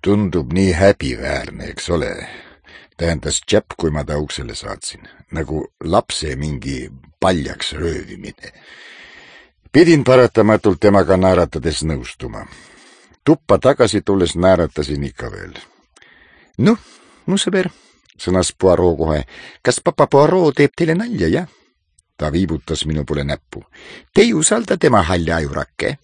Tundub nii häbiväärne, eks ole. Tähendas Japp, kui ma ta uksele saatsin. Nagu lapse mingi paljaks röövimine. Pidin paratamatult temaga naeratades nõustuma. Tuppa tagasi tulles naeratasin ikka veel. Noh, mu sõber, sõnas Poirot kohe. Kas papa Poirot teeb teile nalja, jah? Ta viibutas minu poole näppu. Te ei usalda tema halja ajurakke.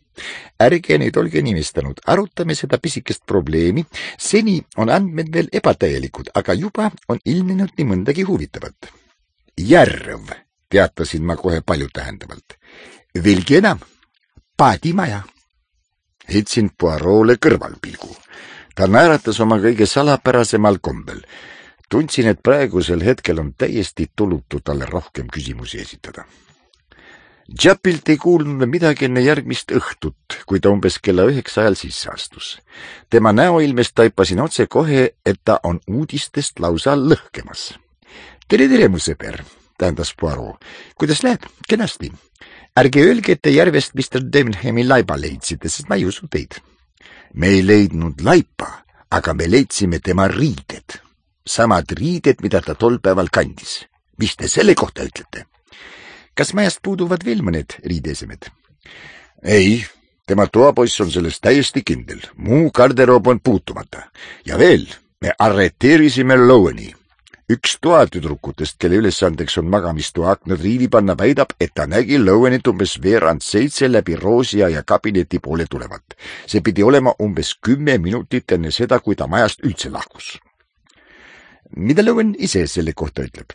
Ärge nüüd olge nimestanud, arutame seda pisikest probleemi. Seni on andmed veel ebatäielikud, aga juba on ilmnenud nii mõndagi huvitavat. Järv, teatasin ma kohe paljutähendavalt. Veelgi enam, paadimaja. Heitsin Poirot'le kõrvalpilgu. Ta naeratas oma kõige salapärasemal kombel. Tundsin, et praegusel hetkel on täiesti tulutu talle rohkem küsimusi esitada. Jappilt ei kuulnud midagi enne järgmist õhtut, kui ta umbes kella 9 ajal sisse astus. Tema näoilmest taipasin otse kohe, et ta on uudistest lausa lõhkemas. Tere, mu sõber, tähendas Poirot. Kuidas läheb? Kenasti. Ärge öelge, et te järvest Mr. Debenhami laiba leidsite, sest ma ei usu teid. Me ei leidnud laipa, aga me leidsime tema riided. Samad riided, mida ta tol päeval kandis. Mis te selle kohta ütlete? Kas majast puuduvad veel mõned riideesemed? Ei, tema toapoiss on sellest täiesti kindel. Muu garderoob on puutumata. Ja veel, me arreteerisime Loweni. Üks toatüdrukutest, kelle ülesandeks on magamistoa aknad riivi panna, väidab, et ta nägi Lowenit umbes 6:15 läbi Roosia ja kabineti poole tulevat. See pidi olema umbes 10 minutit enne seda, kui ta majast üldse lahkus. Mida Lowen ise selle kohta ütleb?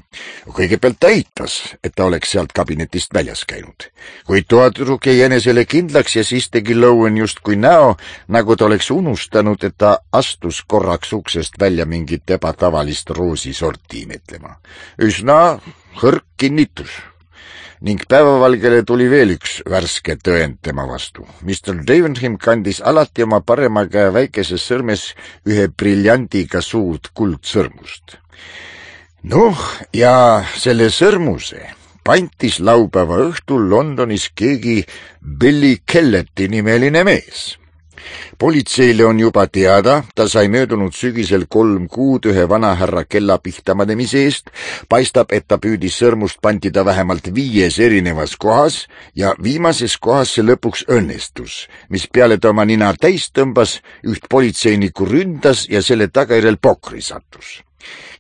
Kõigepealt ta eitas, et ta oleks sealt kabinetist väljas käinud. Kui toatüdruk jäi enesele kindlaks ja siis tegi Lowen justkui näo, nagu ta oleks unustanud, et ta astus korraks uksest välja mingit ebatavalist roosisorti imetlema. Üsna hõrk kinnitus. Ning päevavalgele tuli veel üks värske tõend tema vastu. Mr. Debenham kandis alati oma parema käe väikeses sõrmes ühe briljandiga suurt kuldsõrmust. Noh, ja selle sõrmuse pantis laupäeva õhtul Londonis keegi Billy Kelleti nimeline mees. Politseile on juba teada, ta sai möödunud sügisel 3 kuud ühe vanahärra kella pihtamanemise eest, paistab, et ta püüdis sõrmust pantida vähemalt 5 erinevas kohas ja viimases kohas see lõpuks õnnestus, mis peale ta oma nina täis tõmbas, üht politseinikku ründas ja selle tagajärjel pokri sattus.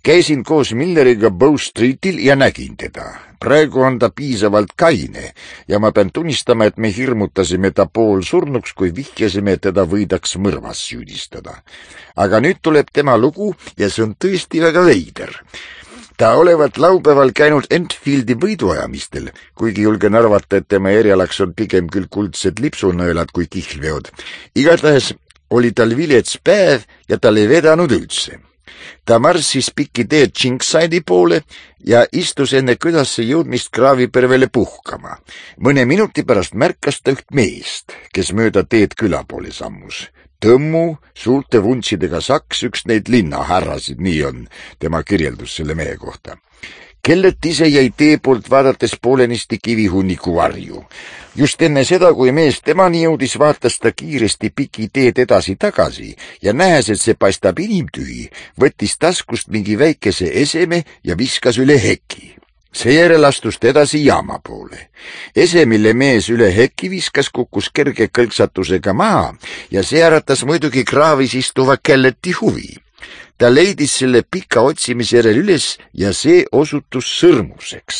Käisin koos Milleriga Bow Streetil ja nägin teda. Praegu on ta piisavalt kaine ja ma pean tunnistama, et me hirmutasime ta poolsurnuks, kui vihjasime, et teda võidaks mõrvas süüdistada. Aga nüüd tuleb tema lugu ja see on tõesti väga veider. Ta olevat laupäeval käinud Enfieldi võiduajamistel, kuigi julgen arvata, et tema erialaks on pigem küll kuldsed lipsunõelad kui kihlveod. Igatahes oli tal vilets päev ja tal ei vedanud üldse. Ta marssis pikki teed Chinkside'i poole ja istus enne külasse jõudmist kraavipervele puhkama. Mõne minuti pärast märkas ta üht meest, kes mööda teed küla poole sammus. Tõmmu, suurte vuntsidega saks, üks neid linnahärrasid, nii on tema kirjeldus selle mehe kohta. Kellet ise jäi tee poolt vaadates poolenisti kivihunniku varju. Just enne seda, kui mees temani jõudis, vaatas ta kiiresti piki teed edasi-tagasi ja nähes, et see paistab inimtühi, võttis taskust mingi väikese eseme ja viskas üle heki. Seejärel astus ta edasi jaama poole. Ese, mille mees üle heki viskas, kukkus kerge kõlksatusega maha ja see äratas muidugi kraavis istuva Kelleti huvi. Ta leidis selle pika otsimise järel üles ja see osutus sõrmuseks.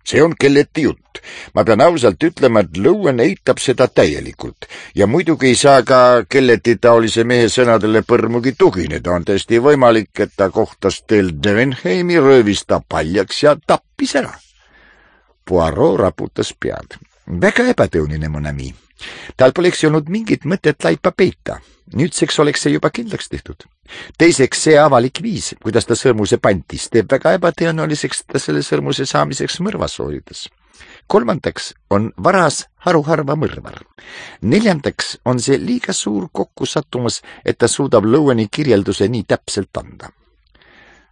See on Kelleti jutt. Ma pean ausalt ütlema, et Lowen eitab seda täielikult ja muidugi ei saa ka Kelleti taolise mehe sõnadele põrmugi tugineda. On tõesti võimalik, et ta kohtas teel Debenhami, röövis ta paljaks ja tappis ära. Poirot raputas pead. Väga ebatõunine, mon ami. Tal poleks olnud mingit mõtet laipa peita. Nüüdseks oleks see juba kindlaks tehtud. Teiseks, see avalik viis, kuidas ta sõrmuse pantis, teeb väga ebatõenäoliseks ta selle sõrmuse saamiseks mõrva sooritas. Kolmandaks on varas haruharva mõrvar. Neljandaks on see liiga suur kokkusattumus, et ta suudab Loweni kirjelduse nii täpselt anda.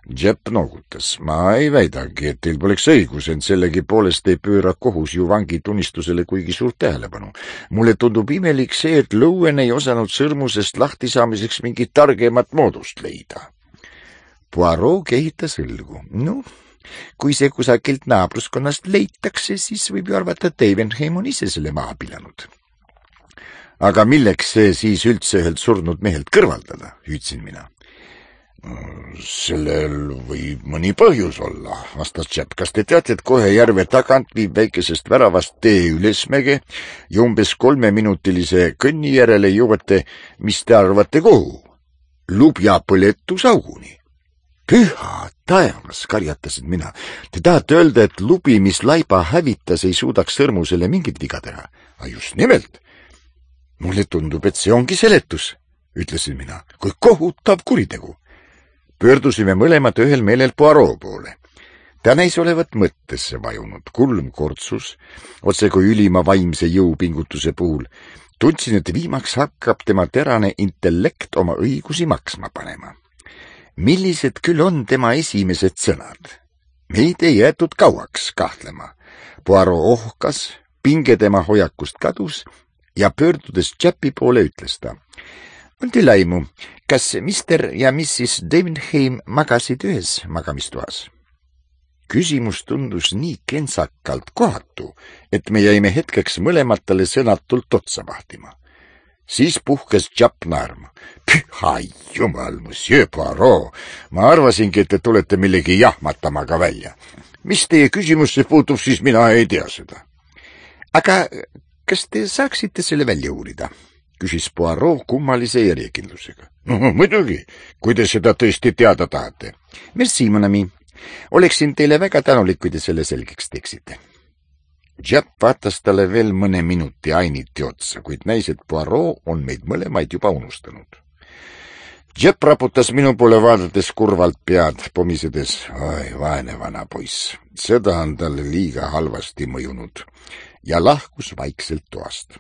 Jepp noogutas. Ma ei väidagi, et teil poleks õigus, ent sellegipoolest ei pööra kohus ju vangi tunnistusele kuigi suurt tähelepanu. Mulle tundub imelik see, et Lowen ei osanud sõrmusest lahtisaamiseks mingit targemat moodust leida. Poirot kehitas õlgu. Kui see kusagilt naabruskonnast leitakse, siis võib ju arvata, et Davenheim on ise selle maha pilanud. Aga milleks see siis üldse ühelt surnud mehelt kõrvaldada, hüüdsin mina. Sellel võib mõni põhjus olla, vastas Jepp. Kas te teate, et kohe järve tagant viib väikesest väravast tee ülesmäge ja umbes 3-minutilise kõnni järele jõuate, mis te arvate kuhu? Lubja põletusauguni. Püha taevas, karjatasin mina. Te tahate öelda, et lubi, mis laiba hävitas, ei suudaks sõrmusele mingit viga teha? Just nimelt. Mulle tundub, et see ongi seletus, ütlesin mina. Kui kohutav kuritegu. Pöördusime mõlemad ühel meelel Poirot poole. Ta näis olevat mõttesse vajunud, kulm kortsus, otse kui ülima vaimse jõupingutuse puhul. Tundsin, et viimaks hakkab tema terane intellekt oma õigusi maksma panema. Millised küll on tema esimesed sõnad? Meid ei jäetud kauaks kahtlema. Poirot ohkas, pinge tema hoiakust kadus ja pöördudes Jeppi poole ütles ta. On teil aimu, kas Mr. ja Mrs. Davenheim magasid ühes magamistoas? Küsimus tundus nii kentsakalt kohatu, et me jäime hetkeks mõlemad talle sõnatult otsa vahtima. Siis puhkes Jepp naerma. Püha jumal, monsieur Poirot, ma arvasingi, et te tulete millegi jahmatamaga välja. Mis teie küsimusse puutub, siis mina ei tea seda. Aga kas te saaksite selle välja uurida? Küsis Poirot kummalise järjekindlusega. Muidugi, kui te seda tõesti teada tahate. Merci, mon ami. Oleksin teile väga tänulik, kui te selle selgeks teeksite. Jepp vaatas talle veel mõne minuti ainiti otsa, kuid näis, et Poirot on meid mõlemaid juba unustanud. Jepp raputas minu poole vaadates kurvalt pead, pomisedes. Oi, vaene vana poiss. Seda on talle liiga halvasti mõjunud ja lahkus vaikselt toast.